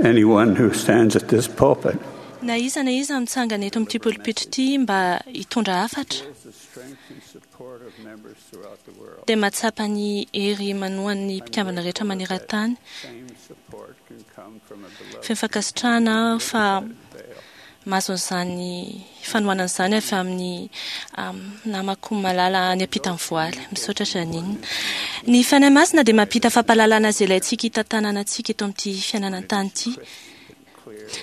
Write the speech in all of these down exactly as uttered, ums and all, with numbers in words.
Anyone who stands at this pulpit Na iza na iza mitsangana eto amin'ity polipitra ity mba hitondra hafatra feels the strength and support of members throughout the world. dia mahatsapa ny hery manohan'ny mpikambana rehetra maneran-tany. Same support can come from a beloved Feno fankasitrahana aho fa veil. mahazo an'izany fanohanana izany avy amin'ny um, namako malala any ampitan'ny voaly. Misaotra Janine. Ny Fanahy Masina dia mampita fampahalalana izay ilaintsika hitantanana antsika eto amin'ity fiainana an-tany ity.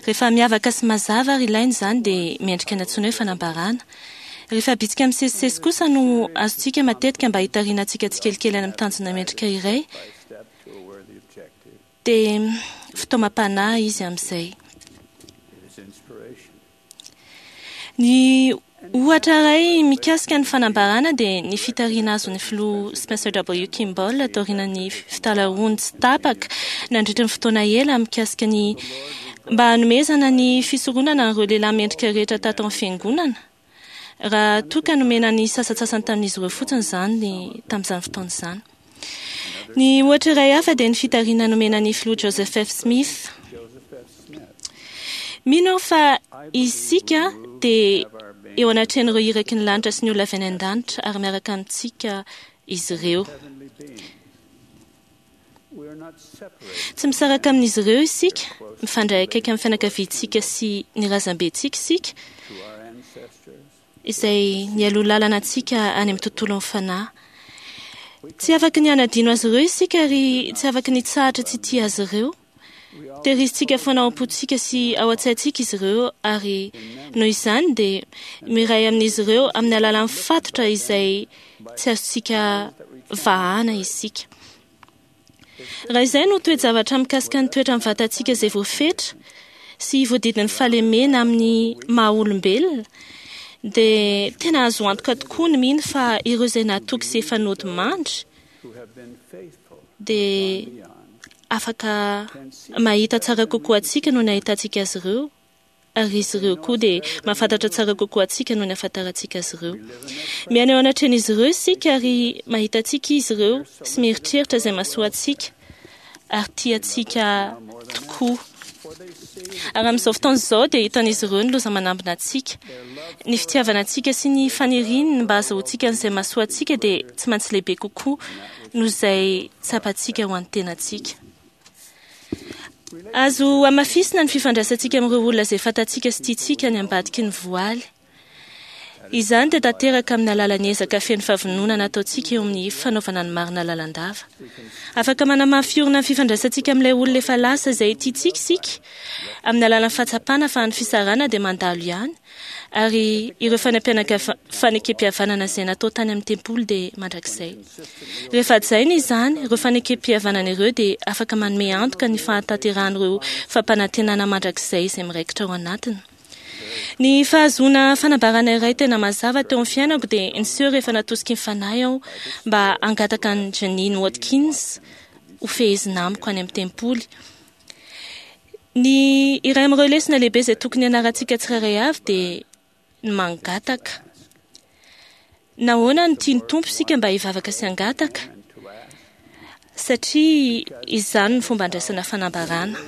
Rehefa miavaka sy mazava ary ilaina izany dia mendrika ny antsoina hoe fanambarana. Rehefa bitsika misesisesy kosa no azontsika matetika mba hitariana antsika tsikelikely any amin'ny tanjona mendrika iray, By step to a worthy objective. dia fitaomam-panahy izy amin'izay. It is inspiration. Ny ohatra iray mikasika ny fanambarana dia ny fitarihana azon'ny filoha Spencer W. Kimball taorian'ny fitalahoany tsy tapaka nandritra ny fotoana ela mikasika ny mba hanomezana ny fisoronana an'ireo lehilahy mendrika rehetra tato amin'ny fiangonana. Raha toa ka nomena ny sasantsasany tamin'izy ireo fotsiny izany tamin'izany fotoana izany. Ny ohatra iray hafa dia ny fitarihana nomena ny filoha Joseph F. Smith. Joseph F. Smith. Mino aho fa isika dia eo anatrehan'ireo iraky ny lanitra sy ny olona avy any an-danitra ary miaraka amintsika izy ireo. Heavenly beings. We are not separated Tsy misaraka amin'izy ireo isika, mifandray akaiky amin'ny fianakaviantsika sy ny razambentsika isika, to our ancestors. izay nialoha lalana antsika any amin'ny tontolon'ny fanahy. Tsy afaky ny hanadino azy ireo isika ary tsy afaky ny hitsahatra tsy tia azy ireo. We all Tehirizintsika foana ao am-pontsika sy ao an-tsaintsika izy ireo ary noho izany dia miray amin'izy ireo amin'ny alalan'ny fatotra izay tsy azontsika vahana isika. Raha izay no toe-javatra mikasika ny toetra amin'ny vatantsika izay voafetra sy voadidin'ny fahalemena amin'ny maha olombelona, dia tena azo antoka tokoa ny mino fa ireo izay natoky sy efa nodimandry who have been faithful dia beyond afaka mahita tsara kokoa antsika noho ny ahitantsika azy ireo, ary izy ireo koa dia mahafantatra tsara kokoa antsika noho ny ahafantarantsika azy ireo. Miaina eo anatrehan'izy ireo isika ary mahita antsika izy ireo sy mieritreritra izay mahasoa antsika ary tia antsika tokoa. for they see Ary amin'izao fotoana izao dia hitan'izy ireo ny loza manambina antsika. Ny fitiavana antsika sy ny faniriany mba hahazoantsika an'izay mahasoa antsika dia tsy maintsy lehibe kokoa noho izay tsapantsika ho an'ny tenantsika. Azo hamafisina ny fifandraisantsika amin'ireo olona izay fantatsika sy tiantsika any ambadiky ny voaly. Izany dia tanteraka amin'ny alalan'ny ezaka feno fahavononana ataontsika eo amin'ny fanaovana ny marina lalandava. Afaka manamafy orina ny fifandraisantsika amin'ilay olona efa lasa izay tiantsika isika amin'ny alalan'ny fahatsapana fa ny fisarahana dia mandalo ihany, ary ireo fanampianaka- fanekempihavanana izay natao tany amin'ny tempoly dia mandrakizay. Rehefa hajaina izany, ireo fanekempihavanana ireo dia afaka manome antoka ny fahatanterahan'ireo fampanantenana mandrakizay izay miraikitra ao anatiny. Ny fahazoana fanambarana iray tena mazava teo amin'ny fiainako dia niseho rehefa natosiky ny fanahy aho mba hangataka an'i Janine Watkins ho fehezina amiko any amin'ny tempoly. Ny iray amin'ireo lesona lehibe izay tokony hianarantsika tsirairay avy dia ny mangataka. Nahoana no tian'ny Tompo isika mba hivavaka sy hangataka? and to ask Satria izany no fomba andraisana fanambarana.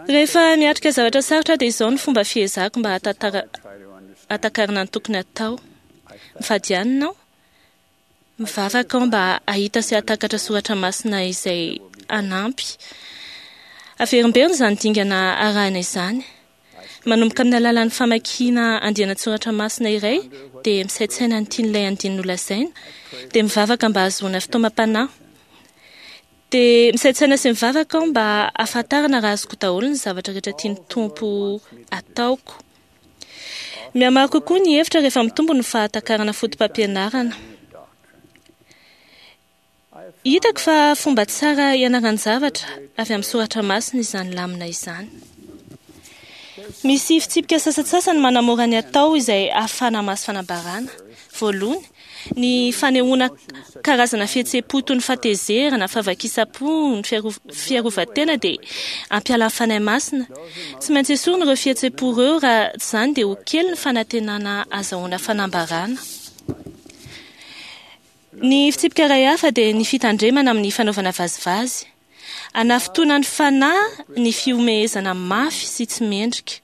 Rehefa miatrika zavatra sarotra dia izao no fomba fiezahako mba hahatantara- try to understand hahatakarana ny tokony hatao. Mifady hanina aho, mivavaka aho mba hahita sy hahatakatra soratra masina izay hanampy. Averimberina izany dingana arahina izany. Manomboka amin'ny alalan'ny famakiana andiana-tsoratra masina iray dia misaintsaina ny tian'ilay andininy nolazaina, dia mivavaka mba hahazoana fitaomam-panahy. Dia misaintsaina sy mivavaka aho mba hahafantarana raha azoko daholo ny zavatra rehetra tian'ny Tompo ataoko. Mihamaro kokoa ny hevitra rehefa mitombo ny fahatakarana foto-pampianarana. Hitako fa fomba tsara hianaran-javatra avy amin'ny soratra masina izany lamina izany. Misy fitsipika sasantsasany manamora ny atao izay ahafahana mahazo fanambarana. Voalohany, ny fanehoana karazana fihetseham-po toy ny fahatezerana, fahavakisam-po, ny fiaro- fiarovan-tena dia hampiala ny Fanahy Masina. Tsy maintsy esorina ireo fihetseham-po ireo, raha tsy izany dia ho kely ny fanantenana azahoana fanambarana. Ny fitsipika iray hafa dia ny fitandremana amin'ny fanaovana vazivazy. Anafotoana ny fanahy ny fihomehezana mafy sy tsy mendrika.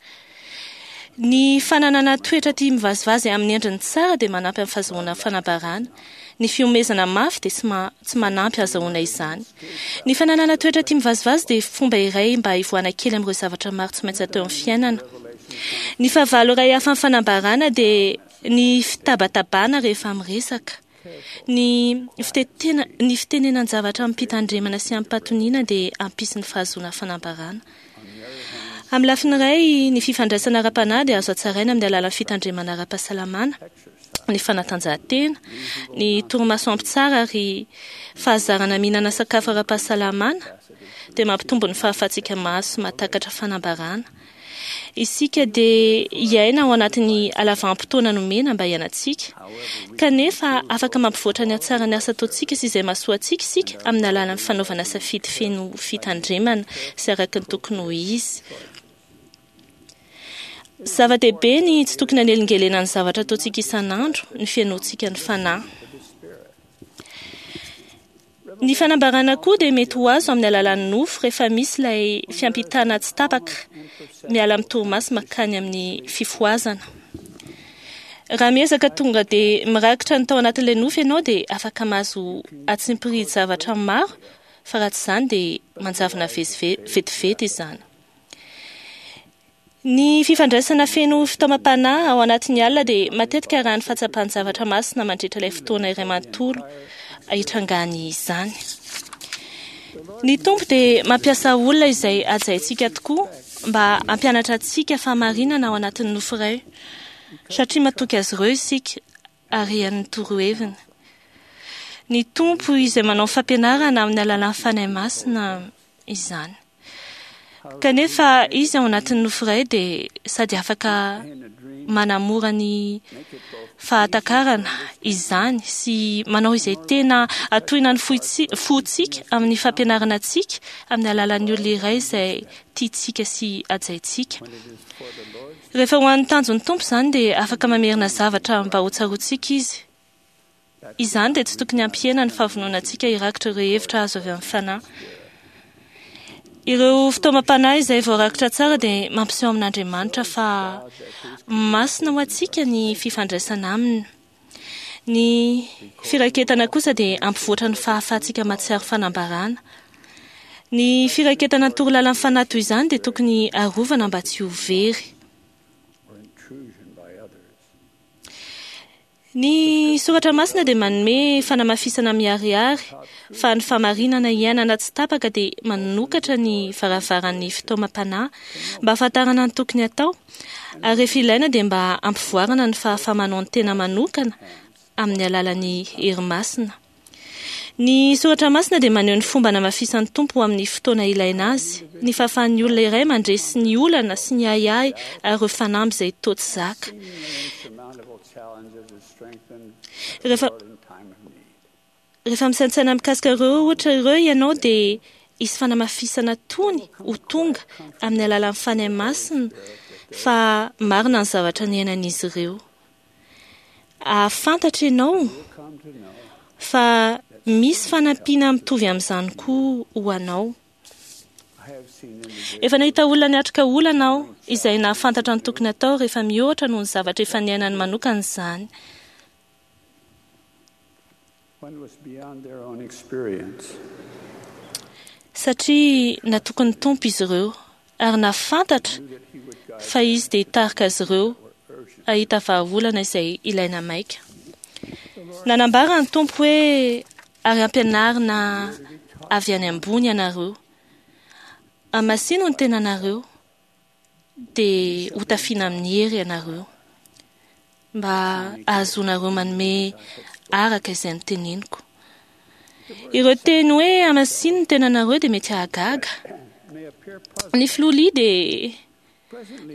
Ny fananana toetra tia mivazivazy amin'ny endriny tsara dia manampy amin'ny fahazoana fanambarana. Ny fihomehezana mafy dia tsy ma- tsy manampy ahazoana izany. Ny fananana toetra tia mivazivazy dia fomba iray mba hivoahana kely amin'ireo zavatra maro tsy maintsy atao amin'ny fiainana. Ny fahavalo iray hafa amin'ny fanambarana dia ny fitabatabana rehefa miresaka. Ny fitetena, ny fitenenan-javatra amim-pitandremana sy amim-pahatoniana dia hampisy ny fahazoana fanambarana. Amin'ny lafiny iray, ny fifandraisana ara-panahy dia azo hatsaraina amin'ny alalan'ny fitandremana ara-pahasalamana, ny fanatanjahantena, ny torimaso ampy tsara ary fahazarana mihinana sakafo ara-pahasalamana dia mampitombo ny fahafahantsika mahazo sy mahatakatra fanambarana. Isika dia hiaina ao anatin'ny halavam-potoana nomena mba hiainantsika. Kanefa afaka mampivoatra ny hatsaran'ny asa ataontsika sy izay mahasoa antsika isika amin'ny alalan'ny fanaovana safidy feno fitandremana sy araka ny tokony ho izy. Zava-dehibe ny tsy tokony hanelingelena ny zavatra ataontsika isan'andro, ny fihainoantsika ny fanahy. Ny fanambarana koa dia mety ho azo amin'ny alalan'ny nofo rehefa misy ilay fiampitana tsy tapaka miala amin'ny torimaso mankany amin'ny fifohazana. Raha miezaka tonga dia mirakitra ny tao anatin'ilay nofo ianao dia afaka mahazo atsimpirihy-javatra maro, fa raha tsy izany dia manjavona vezive- vetivety izany. Ny fifandraisana feno fitaomam-panahy ao anatin'ny alina dia matetika raha ny fahatsapan-javatra masina mandritra ilay fotoana iray manontolo hitrangany izany. Ny Tompo dia mampiasa olona izay hajaintsika tokoa mba hampianatra antsika fahamarinana ao anatin'ny nofo iray, satria matoky azy ireo isika ary hain'ny toroheviny. Ny Tompo izay manao fampianarana amin'ny alalan'ny Fanahy Masina izany. Kanefa izy ao anatin'ny nofo iray dia sady afaka manamora ny fahatakarana izany sy manao izay tena atohina ny foitsi-, fontsika amin'ny fampianarana antsika amin'ny alalan'ny olona iray izay tiantsika sy hajaintsika. Rehefa ho an'ny tanjon'ny Tompo izany dia afaka mamerina zavatra mba ho tsaroantsika izy. Izany dia tsy tokony hampihena ny fahavononantsika hirakitra ireo hevitra azo avy amin'ny fanahy. Ireo fitaomam-panahy izay voarakitra tsara dia mampiseho amin'Andriamanitra fa masina ho antsika ny fifandraisana aminy. Ny firaketana kosa dia hampivoatra ny fahafahantsika mahatsiaro fanambarana. Ny firaketana ny torolalan'ny fanahy toy izany dia tokony arovana mba tsy ho very. Ny soratra masina dia manome fanamafisana miharihary fa ny fahamarinana iainana tsy tapaka dia manokatra ny varavaran'ny fitaomam-panahy mba hahafantarana ny tokony atao, ary rehefa ilaina dia mba hampivoarana ny fahafaha-manao ny tena manokana amin'ny alalan'ny hery masina. Ny soratra masina dia maneho ny fomba namafisan'ny Tompo amin'ny fotoana ilaina azy, ny fahafahan'ny olona iray mandresy ny olana sy ny ahiahy ary ireo fanamby izay toa tsy zaka. Rehefa, rehefa misaintsaina mikasika ireo ohatra ireo ianao dia hisy fanamafisana tony ho tonga amin'ny alalan'ny Fanahy Masina fa marina ny zavatra niainan'izy ireo. Ahafantatra ianao fa misy fanampiana mitovy amin'izany koa ho anao. Efa nahita olona niatrika olana aho izay nahafantatra ny tokony atao rehefa mihoatra noho ny zavatra efa niainany manokana izany. Satria natoky ny Tompo izy ireo ary nahafantatra fa izy dia hitarika azy ireo hahita vahaolana izay ilaina maika. Nanambara ny Tompo hoe ary ampianarina avy any ambony ianareo. Amasino ny tenanareo dia hotafiana amin'ny hery ianareo mba ahazoanareo manome araka izay noteneniko. Ireo teny hoe amasino ny tenanareo dia mety hahagaga. Ny filoha Lee dia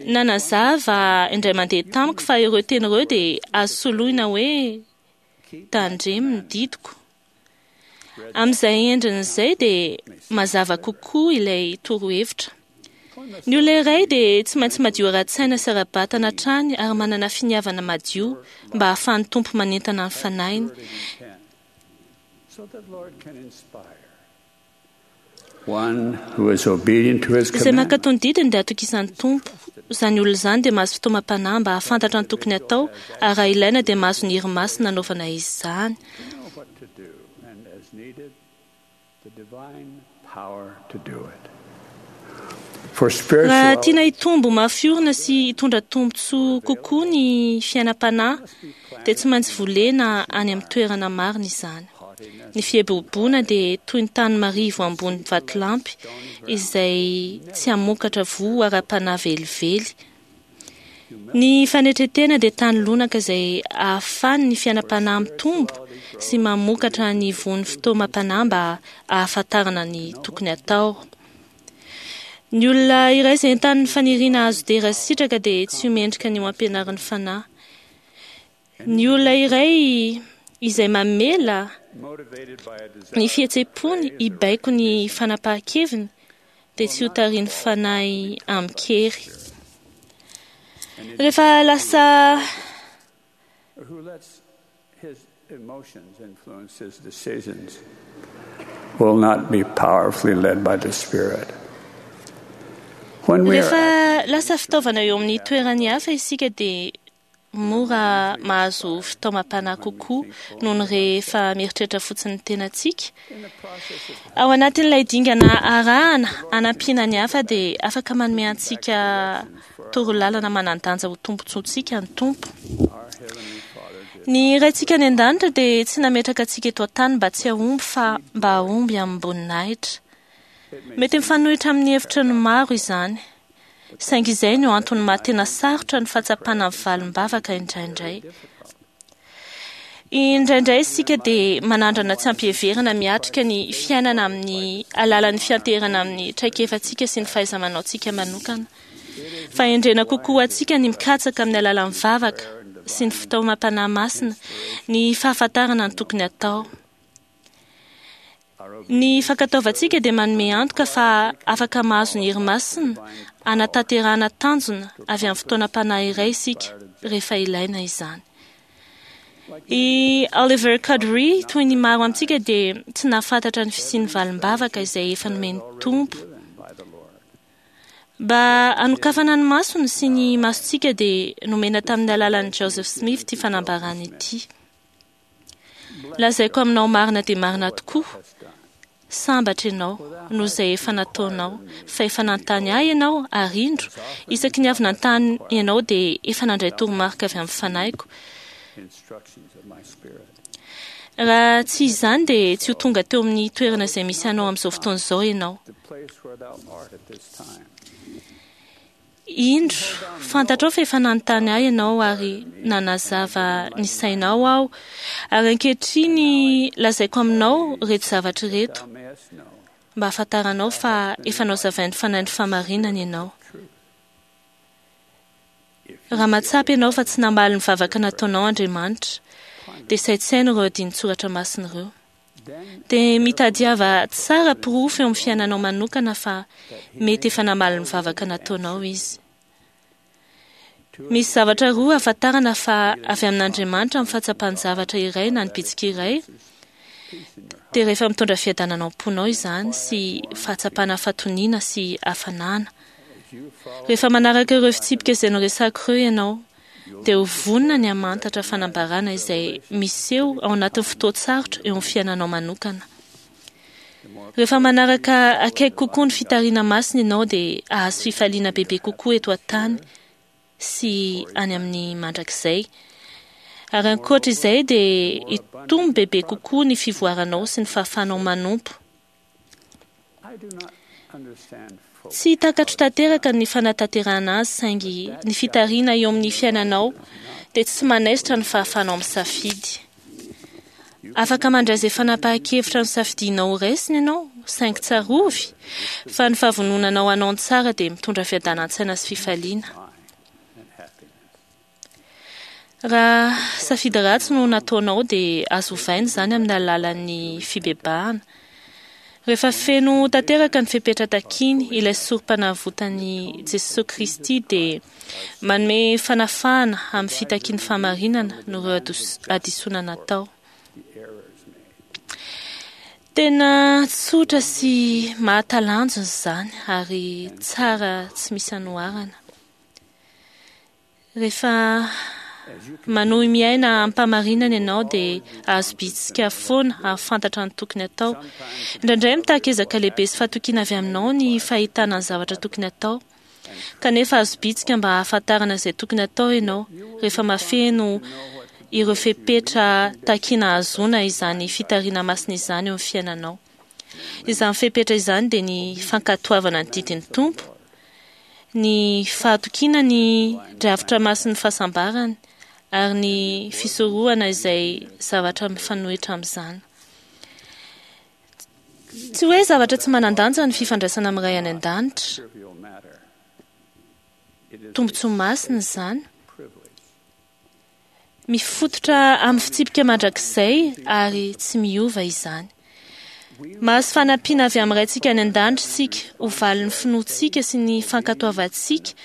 nanazava indray mandeha tamiko fa ireo teny ireo dia azo soloina hoe tandremo ny didiko. Amin'izay endriny izay dia mazava kokoa ilay torohevitra. Ny olona iray dia tsy maintsy madio ara-tsaina sy ara-batana hatrany ary manana finiavana madio mba hahafahan'ny Tompo manentana ny fanahiny. Izay mankatò ny didiny dia atokisan'ny Tompo. Izany olona izany dia mahazo fitaomam-panahy mba hahafantatra ny tokony hatao, ary raha ilaina dia mahazo ny hery masina hanaovana izany. Raha tiana hitombo mafy orina sy hitondra tombontsoa kokoa ny fiainam-panahy, dia tsy maintsy volena any amin'ny toerana marina izany. Ny fieboboana dia toy ny tany marivo ambony vatolampy izay tsy hamokatra voa ara-panahy velively. Ny fanetren-tena dia tany lonaka izay ahafahan'ny fiainam-panahy mitombo sy mamokatra ny voan'ny fitaomam-panahy mba hahafantarana ny tokony hatao. Ny olona iray izay entanin'ny faniriana hahazo dera sy sitraka dia tsy ho mendrika ny ho ampianarin'ny fanahy. Ny olona iray izay mamela ny fihetseham-pony hibaiko ny fanapahan-keviny dia tsy ho tarihin'ny fanahy amin-kery. Rehefa lasa will not be powerfully led by the Spirit. Rehefa lasa fitaovana eo amin'ny toerany hafa isika dia mora mahazo fitaomam-panahy kokoa noho ny rehefa mieritreritra fotsiny ny tenantsika. Ao anatin'ilay dingana arahana hanampiana ny hafa dia afaka manome antsika torolalana manan-danja ho tombontsoantsika ny Tompo. Ny Raintsika any an-danitra dia tsy nametraka antsika eto an-tany mba tsy hahomby fa mba hahomby amim-boninahitra. Mety mifanohitra amin'ny hevitra ny maro izany, saingy izay no antony maha tena sarotra ny fahatsapana ny valim-bavaka indraindray. Indraindray isika dia manandrana tsy ampiheverana miatrika ny fiainana amin'ny alalan'ny fianteherana amin'ny traikefantsika sy ny fahaiza-manaontsika manokana. Fahendrena kokoa antsika ny mikatsaka amin'ny alalan'ny vavaka sy ny fitaomam-panahy masina ny fahafantarana ny tokony hatao. Ny fankatoavantsika dia manome antoka fa afaka mahazo ny hery masina hanatanterahana tanjona avy amin'ny fotoanam-panahy iray isika rehefa ilaina izany. I Oliver Cowdery, toy ny maro amintsika, dia tsy nahafantatra ny fisian'ny valim-bavaka izay efa nomen'ny Tompo. Mba hanokafana ny masony sy ny masontsika dia nomena tamin'ny alalan'i Joseph Smith ity fanambarana ity. Lazaiko aminao marina dia marina tokoa, sambatra ianao noho izay efa nataonao, fa efa nanontany ahy ianao ary indro, isaky ny avy nanontany ianao dia efa nandray toromarika avy amin'ny fanahiko. Raha tsy izany dia tsy ho tonga teo amin'ny toerana izay misy anao amin'izao fotoana izao ianao. Indro, fantatrao fa efa nanontany ahy ianao ary nanazava ny sainao aho. Ary ankehitriny lazaiko aminao ireto zavatra ireto mba hahafantaranao fa efa nozavain'ny fanahin'ny fahamarinana ianao. Raha mahatsapa ianao fa tsy namaly ny vavaka nataonao Andriamanitra, dia saintsaino ireo andinin-tsoratra masina ireo. Dia mitadiava tsara porofo eo amin'ny fiainanao manokana fa mety efa namaly ny vavaka nataonao izy. Misy zavatra roa ahafantarana fa avy amin'Andriamanitra amin'ny fahatsapan'ny zavatra iray na ny bitsika iray, dia rehefa mitondra fiadanana ao am-ponao izany sy fahatsapana fahatoniana sy hafanana. Rehefa manaraka ireo fitsipika izay noresako ireo ianao, dia ho vonona ny hamantatra fanambarana izay miseho ao anatin'ny fotoan-tsarotra eo amin'ny fiainanao manokana. Rehefa manaraka akaiky kokoa ny fitariana masina ianao dia hahazo fifaliana bebe kokoa eto an-tany sy any amin'ny mandrakizay. Ary ankoatra izay dia hitombo bebe kokoa ny fivoaranao sy ny fahafahanao manompo. Tsy takatro tanteraka ny fanatanterahana azy, saingy ny fitariana eo amin'ny fiainanao dia tsy manaisotra ny fahafahanao misafidy. Afaka mandray izay fanapahan-kevitra nosafidianao ho raisina ianao, saingy tsarovy fa ny fahavononanao hanao ny tsara dia mitondra fiadanan-tsaina sy fifaliana. Raha safidy ratsy no nataonao dia azo ovaina izany amin'ny alalan'ny fibebahana. Rehefa feno tanteraka ny fepetra takiny ilay sorom-panavotan'i Jesoa Kristy dia manome fanafahana amin'ny fitakian'ny fahamarinana noho ireo hadisoana natao. Tena tsotra sy mahatalanjona izany ary tsara tsy misy anoharana. Rehefa manohy miaina am-pahamarinana ianao dia azo bitsika foana ahafantatra ny tokony atao. Indraindray mitaky ezaka lehibe sy fahatokiana avy aminao ny fahitana ny zavatra tokony atao. Kanefa azo bitsika mba hahafantarana izay tokony atao ianao rehefa mahafeno ireo fepetra takiana ahazoana izany fitariana masina izany eo amin'ny fiainanao. Izany fepetra izany dia ny fankatoavana ny didin'ny Tompo, ny fahatokiana ny drafitra masin'ny fahasambarany ary ny fisorohana izay zavatra mifanohitra amin'izany. Tsy hoe zavatra tsy manan-danja ny fifandraisana amin'ny Ray any an-danitra. Trivial matter. It is Tombontsoa masina izany. privilege. Mifototra amin'ny fitsipika mandrakizay ary tsy miova izany. Mahazo fanampiana avy amin'ny Raintsika any an-danitra isika ho valin'ny finoantsika sy ny fankatoavantsika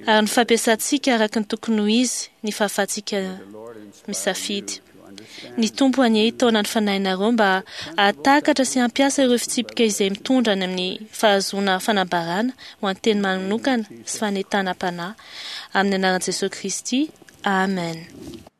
ary ny fampiasantsika araka ny tokony ho izy ny fahafahantsika The Lord inspire misafidy. you to understand Ny Tompo anie hitaona ny fanahinareo mba hahatakatra sy hampiasa ireo fitsipika izay mitondra any amin'ny fahazoana fanambarana ho an'ny teny manokana sy fanentanam-panahy. Amin'ny anaran'i Jesosy Kristy. Amen.